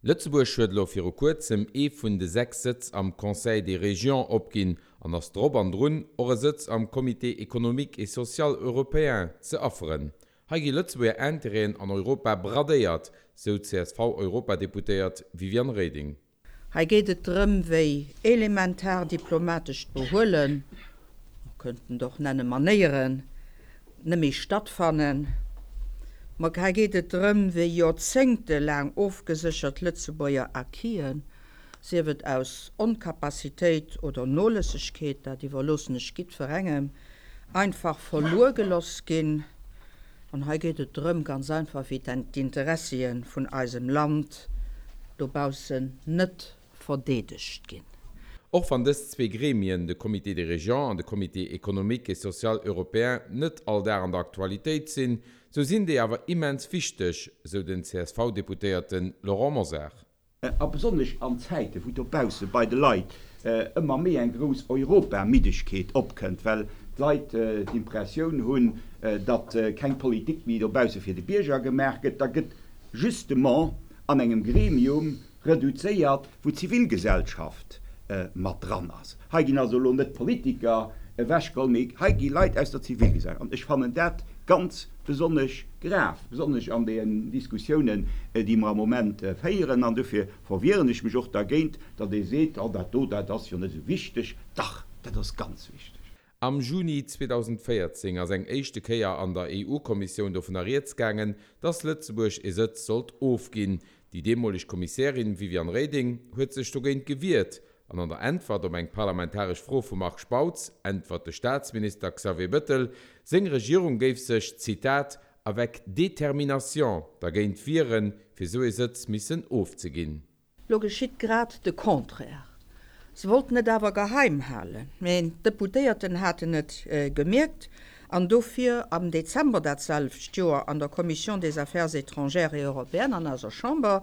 Lëtzebuerg huet elo viru kuerzem ee vun de 6 Sëtz am Conseil des Régions opginn an ass drop an drun, och e Sëtz am Comité économique et social européen ze afferen. Hei gi Lëtzebuerger Intérêten an Europa bradéiert, sou d'CSV-Europadeputéiert Viviane Reding. Hei geet et drëm, wéi elementar diplomatescht Behuelen, mer könnten et och nenne Manéieren, net méi stattfannen. Ma hei geet et drëm, wéi joerzéngtelaang ofgeséchert Lëtzebuerger Acquisen, sief et aus Oncapacitéit oder Nolëssegkeet, dat iwwerloossen ech giddferengem, einfach verluer geloss ginn. An hei geet et drëm, ganz einfach, wéi d'Interessie vun eisem Land dobaussen net verdeedegt ginn. Och wann dës zwee Gremien, de Comité des Régions an de Comité économique et social européen, net all Dag an der Aktualitéit sinn, sou sinn déi awer immens wichteg, sou den CSV-Deputéierte Laurent Mosar. A besonnesch an Zäiten, wou dobausse bei de Leit ëmmer méi eng grouss Europamiddegkeet opkënnt, well d'Leit d'Impressioun hunn, datt keng Politik méi dobausse fir de Bierger gemaach gëtt, da gëtt justement an engem Gremium reduzéiert, wou d'Zivilgesellschaft mat dran ass. Hei ginn also elo net d'Politiker ewechgeholl, mee hei gi Leit aus der Zivilgesellschaft. An ech fannen dat ganz besonnesch grav, besonnesch an deenen Diskussiounen, déi mer am Moment féieren. An dofir verwieren ech mech och dergéint, datt ee seet, Oh, dat do, dat ass jo net esou wichteg. Dach, dat ass ganz wichteg. Am Juni 2014 ass eng éischte Kéier an der EU-Kommissioun dovunner rieds gaangen, datt Lëtzebuerg ee Sëtz sollt ofginn. Déi deemoleg Kommissärin Viviane Reding huet sech dogéint gewiert an an der Äntwert op eng parlamentaresch Fro vum Marc Spautz äntwert de Staatsminister Xavier Bëttel, seng Regierung géif sech, Zitat, avec détermination dergéint wieren, fir sou ee Sëtz missen ofzeginn. Lo geschitt grad de Contraire. Se wollten et awer geheim halen, mä d'Deputéierten haten et gemierkt an dofir am Dezember dat selwecht Joer an der Commission des Affaires étrangères et européennes an eiser Chamber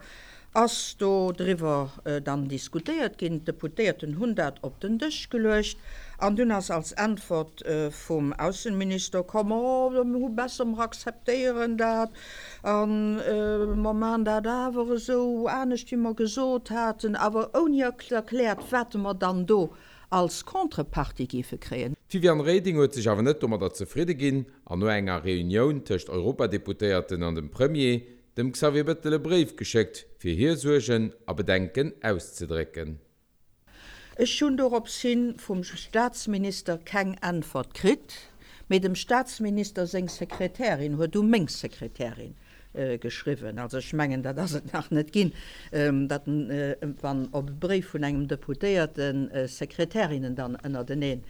ass do driwwer dann diskutéiert ginn. D'Deputéierten hunn dat op den Dësch geluecht an dunn ass als Äntwert vum Aussenminister komm, Oh, mir hu besser, mer akzeptéieren dat a mer maachen dat awer esou anescht, wéi mer gesot haten, awer ouni erkläert, wat mer dann do als Contrepartie géife kréien. D'Viviane Reding huet sech awer net domadder zefridde ginn an no enger Reunioun tëscht Europadeputéierten an dem Premier, dem Xavier Bëttel e Bréif geschéckt, fir hir Suergen a Bedenken auszedrécken. Ech hunn dorops hin vum Staatsminister keng Äntwert kritt, mee dem Staatsminister seng Sekretärin huet u meng Sekretärin geschriwwen. Also ech mengen, dat ass et nach net ginn, datt wann op e Bréif vun engem Deputéierten Sekretärinnen dann ënnertenee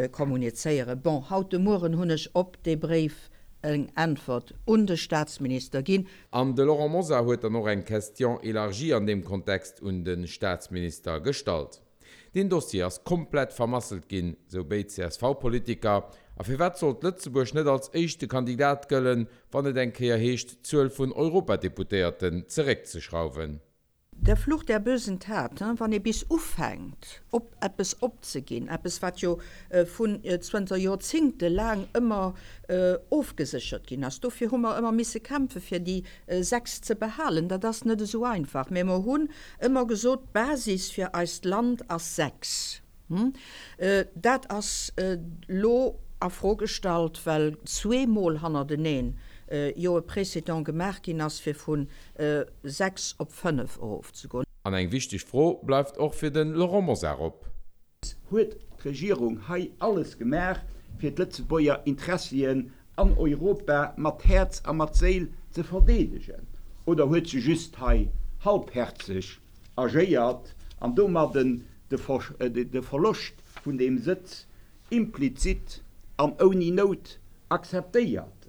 kommunizéieren. Bon, haut de Mueren hunn ech op dee Bréif eng Äntwert un de Staatsminister ginn. An de Laurent Mosar huet dann och eng Question élargie an deem Kontext un de Staatsminister gestallt. Deen Dossier ass komplett vermasselt ginn, sou béid CSV-Politiker. A firwat sollt Lëtzebuerg net als éischte Kandidat gëllen, wann et eng Kéier heescht, d'Zuel vun Europadeputéierten zeréckzeschrauwen? Der Fluch der bösen Tat, wann ee bis ufänkt op eppes opzeginn, eppes wat jo vun zënter Joerzingte laang ëmmer ofgeséchert ginn ass, dofir hu mer ëmmer misse kämpfe fir déi 6 ze behalen, dat ass net esou einfach, mä mer hunn ëmmer gesot, d'Basis fir eist Land ass 6. Dat ass elo a Fro gestallt, well zweemol hannerteneen jo e Précédent gemaach ginn ass, fir vu 6 op 5 erofzegoen. An eng wichteg Fro bleift och fir de Laurent Mosar op. Huet d'Regierung hei alles gemaach, fir d'Lëtzebuerger Interessien an Europa mat Häerz a mat Séil ze verdeedegen, oder huet se just hei halbherzeg agéiert an domadden de Verloscht vun deem Sëtz implizit an ouni Nout akzeptéiert.